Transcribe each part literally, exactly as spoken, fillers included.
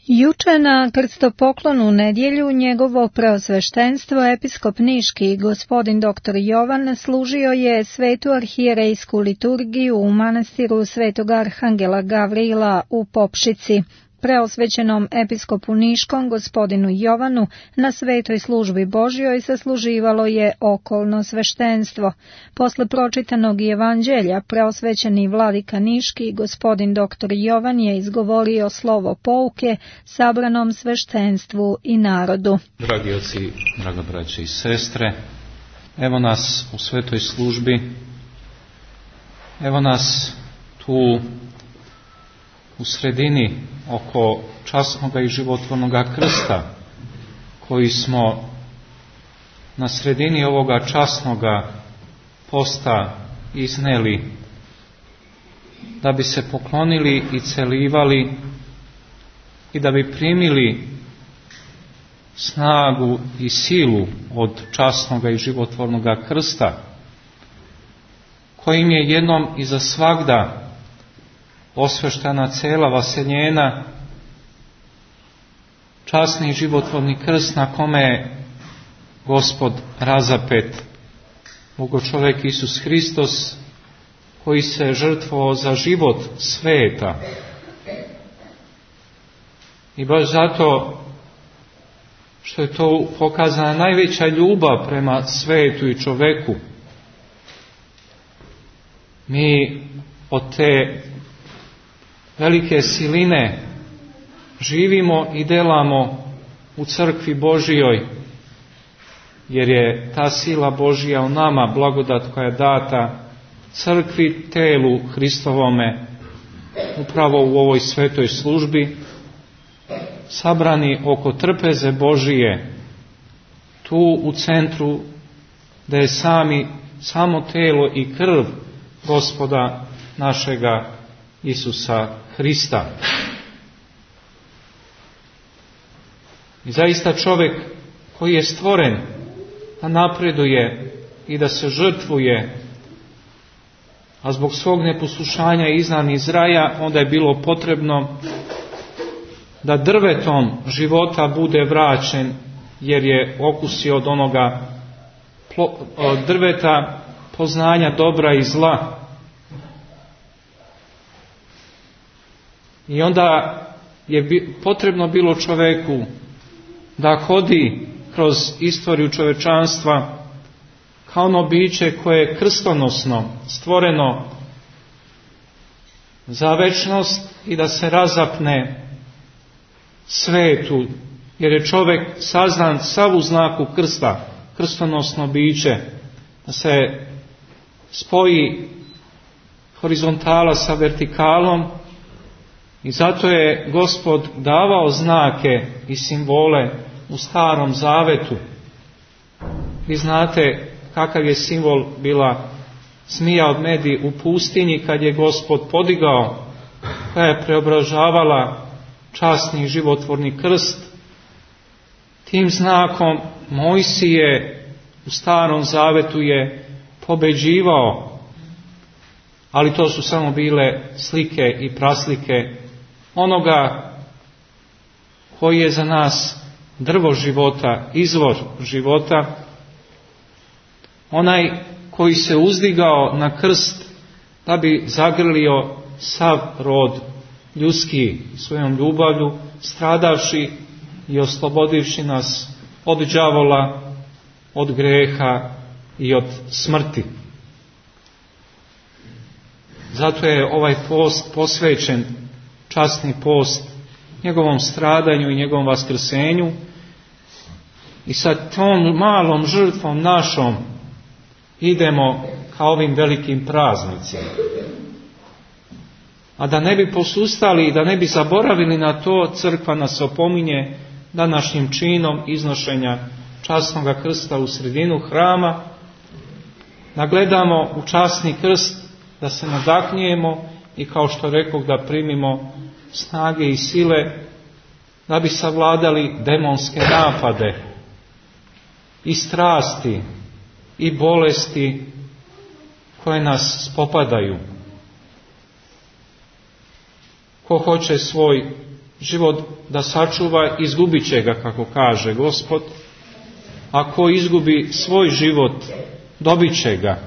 Juče na krstopoklonu u nedjelju njegovo preosveštenstvo episkop niški gospodin doktor Jovan služio je svetu arhijerejsku liturgiju u manastiru svetog arhangela Gavrila u Popšici. Preosvećenom episkopu niškom gospodinu Jovanu na svetoj službi Božjoj sasluživalo je okolno sveštenstvo. Posle pročitanog evanđelja preosvećeni vladika niški gospodin doktor Jovan je izgovorio slovo pouke sabranom sveštenstvu i narodu. Dragi oci, draga braće i sestre, evo nas u svetoj službi, evo nas tu u sredini oko časnoga i životvornoga krsta, koji smo na sredini ovoga časnoga posta izneli, da bi se poklonili i celivali i da bi primili snagu i silu od časnoga i životvornoga krsta, kojim je jednom i za svagda osveštena cela vaseljena, časni i životvorni krst na kome je Gospod razapet, Bogočovek Isus Hristos, koji se žrtvovao za život sveta. I baš zato što je to pokazana najveća ljubav prema svetu i čoveku, mi od te velike siline živimo i delamo u crkvi Božijoj, jer je ta sila Božija u nama, blagodat koja je data crkvi, telu Hristovome, upravo u ovoj svetoj službi, sabrani oko trpeze Božije, tu u centru, da je sami, samo telo i krv Gospoda našega Isusa Hrista. I zaista čovjek koji je stvoren da napreduje i da se žrtvuje, a zbog svog neposlušanja iznan iz raja, onda je bilo potrebno da drvetom života bude vraćen, jer je okusio od onoga od drveta poznanja dobra i zla. I onda je potrebno bilo čoveku da hodi kroz istoriju čovečanstva kao ono biće koje je krstonosno stvoreno za večnost i da se razapne svetu, jer je čovjek sazdan sav u znaku krsta, krstonosno biće, da se spoji horizontala sa vertikalom. I zato je Gospod davao znake i simbole u Starom Zavetu. Vi znate kakav je simbol bila zmija od medi u pustinji kad je Gospod podigao, koja je preobražavala časni životvorni krst. Tim znakom Mojsije u Starom Zavetu je pobeđivao, ali to su samo bile slike i praslike onoga koji je za nas drvo života, izvor života, onaj koji se uzdigao na krst da bi zagrlio sav rod ljudski svojom ljubavlju, stradavši i oslobodivši nas od đavola, od greha i od smrti. Zato je ovaj post posvećen, časni post, njegovom stradanju i njegovom vaskrsenju, i sa tom malom žrtvom našom idemo ka ovim velikim praznicima. A da ne bi posustali i da ne bi zaboravili na to, crkva nas opominje današnjim činom iznošenja časnoga krsta u sredinu hrama, da gledamo u časni krst, da se nadaknijemo i, kao što rekao, da primimo snage i sile da bi savladali demonske napade i strasti i bolesti koje nas spopadaju. Ko hoće svoj život da sačuva, izgubit će ga, kako kaže Gospod. Ako izgubi svoj život, dobit će ga.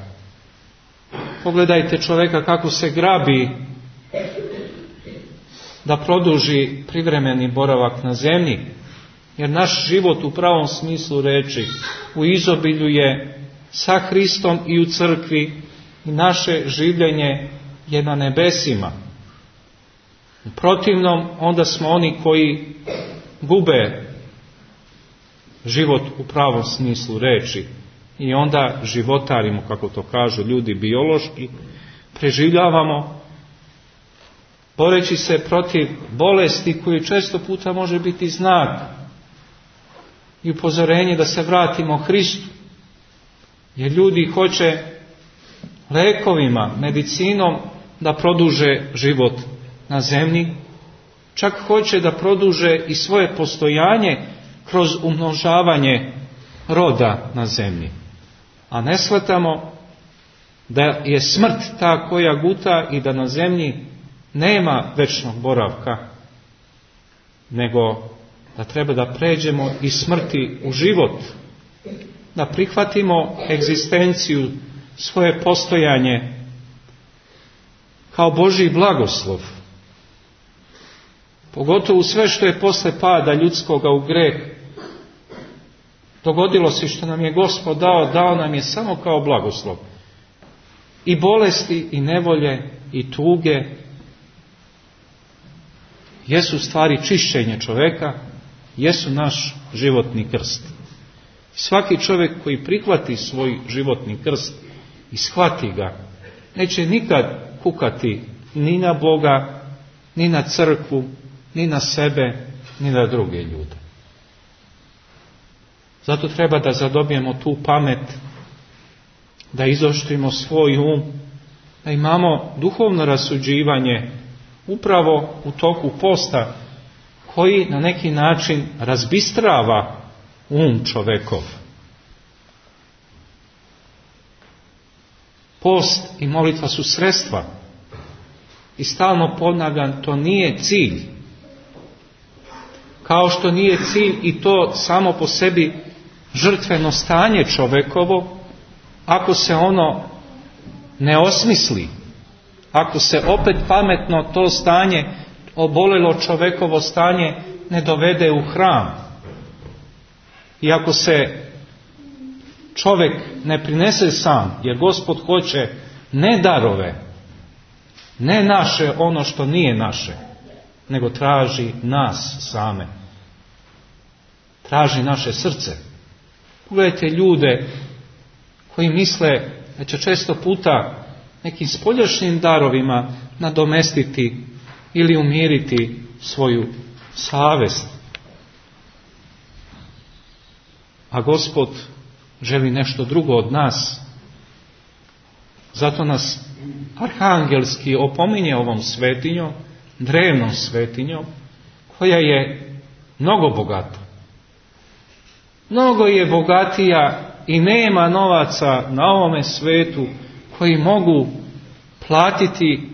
Pogledajte čovjeka kako se grabi da produži privremeni boravak na zemlji, jer naš život u pravom smislu reči u izobilju je sa Hristom i u crkvi i naše življenje je na nebesima. U protivnom, onda smo oni koji gube život u pravom smislu reči i onda životarimo, kako to kažu ljudi biološki, preživljavamo boreći se protiv bolesti koji često puta može biti znak i upozorenje da se vratimo Hristu. Jer ljudi hoće lekovima, medicinom da produže život na zemlji, čak hoće da produže i svoje postojanje kroz umnožavanje roda na zemlji. A ne shvatamo da je smrt ta koja guta i da na zemlji nema večnog boravka, nego da treba da pređemo iz smrti u život, da prihvatimo egzistenciju, svoje postojanje kao Božji blagoslov. Pogotovo sve što je posle pada ljudskoga u greh dogodilo se, što nam je Gospod dao, dao nam je samo kao blagoslov. I bolesti, i nevolje, i tuge jesu stvari čišćenje čovjeka, jesu naš životni krst. Svaki čovjek koji prihvati svoj životni krst i shvati ga, neće nikad kukati ni na Boga, ni na crkvu, ni na sebe, ni na druge ljude. Zato treba da zadobijemo tu pamet, da izoštrimo svoj um, da imamo duhovno rasuđivanje upravo u toku posta, koji na neki način razbistrava um čovekov. Post i molitva su sredstva. I stalno ponavljam, to nije cilj. Kao što nije cilj i to samo po sebi žrtveno stanje čovekovo, ako se ono ne osmisli, ako se opet pametno to stanje, obolelo čovekovo stanje, ne dovede u hram. I ako se čovjek ne prinese sam, jer Gospod hoće ne darove, ne naše ono što nije naše, nego traži nas same. Traži naše srce. Pogledajte ljude koji misle da će često puta nekim spoljašnjim darovima nadomestiti ili umiriti svoju savest. A Gospod želi nešto drugo od nas. Zato nas arhangelski opominje ovom svetinjom, drevnom svetinjom, koja je mnogo bogata. Mnogo je bogatija i nema novaca na ovome svetu koji mogu platiti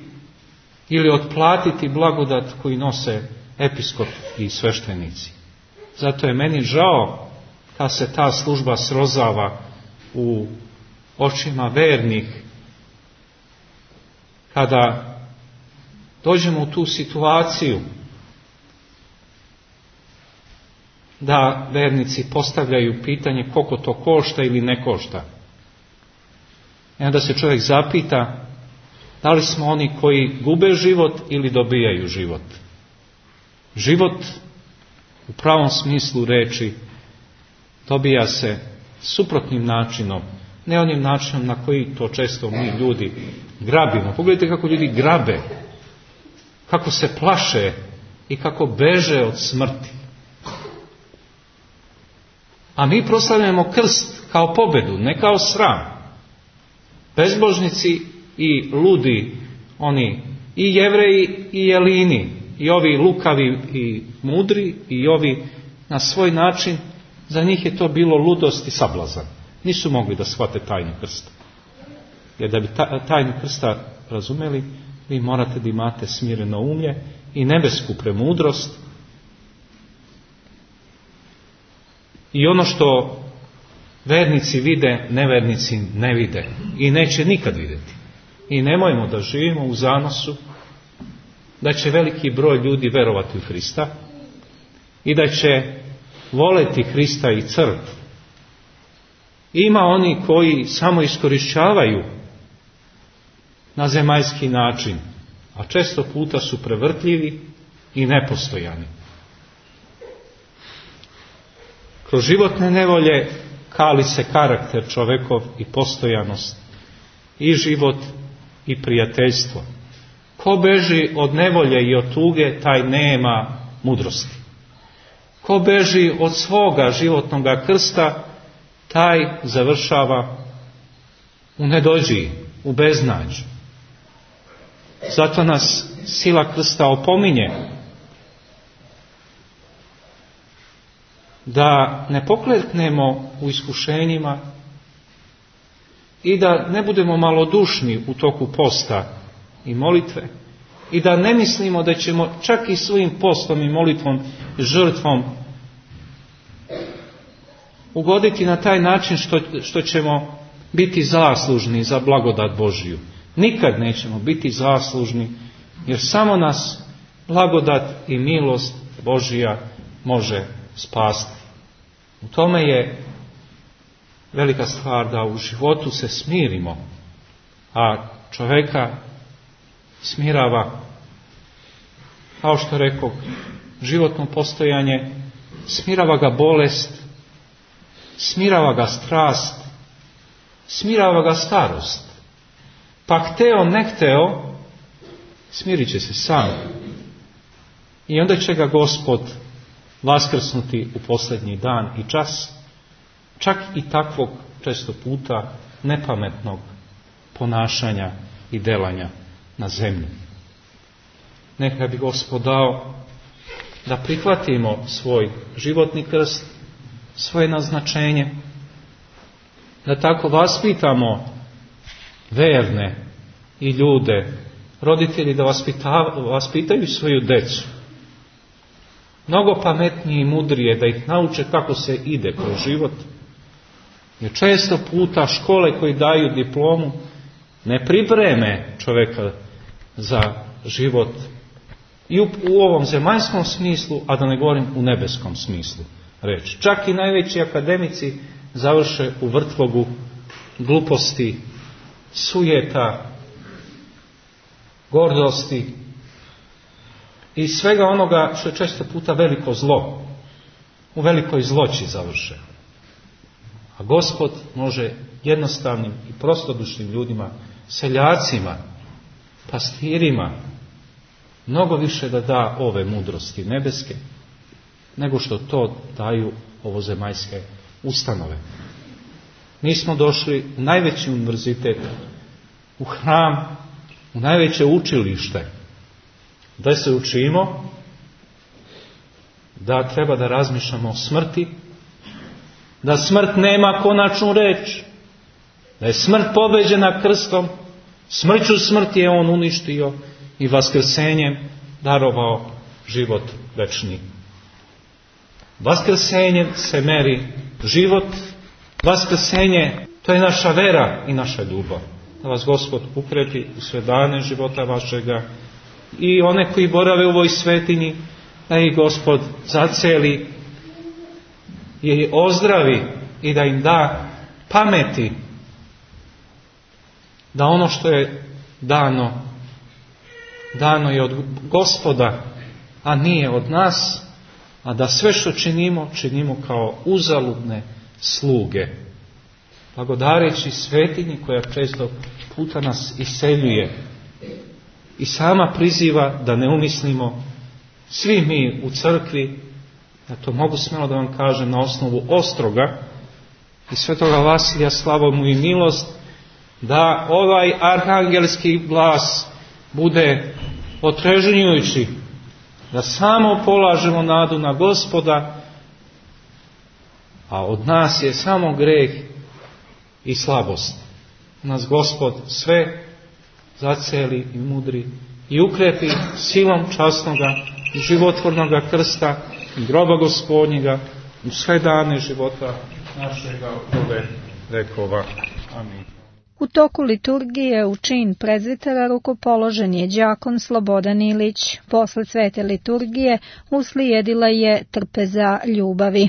ili otplatiti blagodat koji nose episkop i sveštenici. Zato je meni žao kad se ta služba srozava u očima vernih, kada dođemo u tu situaciju da vernici postavljaju pitanje koliko to košta ili ne košta. I onda se čovjek zapita da li smo oni koji gube život ili dobijaju život. Život u pravom smislu reči dobija se suprotnim načinom, ne onim načinom na koji to često mi ljudi grabimo. Pogledajte kako ljudi grabe, kako se plaše i kako beže od smrti. A mi proslavljamo krst kao pobedu, ne kao sram. Bezbožnici i ludi, oni i Jevreji i Jelini, i ovi lukavi i mudri, i ovi na svoj način, za njih je to bilo ludost i sablazan. Nisu mogli da shvate tajnu krsta. Jer da bi tajnu krsta razumeli, vi morate da imate smireno umlje i nebesku premudrost I ono što vernici vide, nevernici ne vide i neće nikad vidjeti. I nemojmo da živimo u zanosu da će veliki broj ljudi verovati u Hrista i da će voleti Hrista i crkvu. Ima oni koji samo iskorišćavaju na zemaljski način, a često puta su prevrtljivi i nepostojani. Kroz životne nevolje kali se karakter čovekov i postojanost, i život i prijateljstvo. Ko beži od nevolje i od tuge, taj nema mudrosti. Ko beži od svoga životnog krsta, taj završava u nedođiji, u beznađu. Zato nas sila krsta opominje da ne pokleknemo u iskušenjima i da ne budemo malodušni u toku posta i molitve i da ne mislimo da ćemo čak i svojim postom i molitvom i žrtvom ugoditi na taj način što, što ćemo biti zaslužni za blagodat Božiju. Nikad nećemo biti zaslužni, jer samo nas blagodat i milost Božija može spasti. U tome je velika stvar da u životu se smirimo, a čovjeka smirava, kao što rekao, životno postojanje, smirava ga bolest, smirava ga strast, smirava ga starost. Pa hteo, ne hteo, smirit će se sam. I onda će ga Gospod vaskrsnuti u posljednji dan i čas, čak i takvog često puta nepametnog ponašanja i delanja na zemlji. Neka bi Gospod dao da prihvatimo svoj životni krst, svoje naznačenje, da tako vaspitamo verne i ljude, roditelji da vaspitaju svoju decu. Mnogo pametnije i mudrije da ih nauče kako se ide kroz život. Jer često puta škole koji daju diplomu ne pripreme čovjeka za život i u, u ovom zemaljskom smislu, a da ne govorim u nebeskom smislu reći. Čak i najveći akademici završe u vrtlogu gluposti, sujeta, gordosti i svega onoga što je često puta veliko zlo. U velikoj zloći završe. A Gospod može jednostavnim i prostodušnim ljudima, seljacima, pastirima, mnogo više da da ove mudrosti nebeske, nego što to daju ovozemaljske ustanove. Mi smo došli u najveći univerzitet, u hram, u najveće učilište, da se učimo da treba da razmišljamo o smrti, da smrt nema konačnu reč, da je smrt pobeđena krstom, smrću smrti je on uništio i vaskrsenjem darovao život večni. Vaskrsenjem se meri život, vaskrsenje, to je naša vera i naša ljubav. Da vas Gospod ukrepi u sve dane života vašega i one koji borave u ovoj svetinji, da ih Gospod zaceli i ozdravi i da im da pameti da ono što je dano, dano je od Gospoda, a nije od nas, a da sve što činimo, činimo kao uzaludne sluge. Blagodareći svetinji koja često puta nas iseljuje i sama priziva da ne umislimo svi mi u crkvi, ja to mogu smjelo da vam kažem na osnovu Ostroga i svetoga Vasilija, slava mu i milost, da ovaj arhangelski glas bude otrežnjujući, da samo polažemo nadu na Gospoda, a od nas je samo greh i slabost. Nas Gospod sve zaceli i mudri i ukrepi silom časnoga i životvornoga krsta i groba Gospodnjega u sve dane života našega ove vekova. Amin. U toku liturgije u čin prezbitera rukopoložen je đakon Slobodan Ilić. Posle svete liturgije uslijedila je trpeza ljubavi.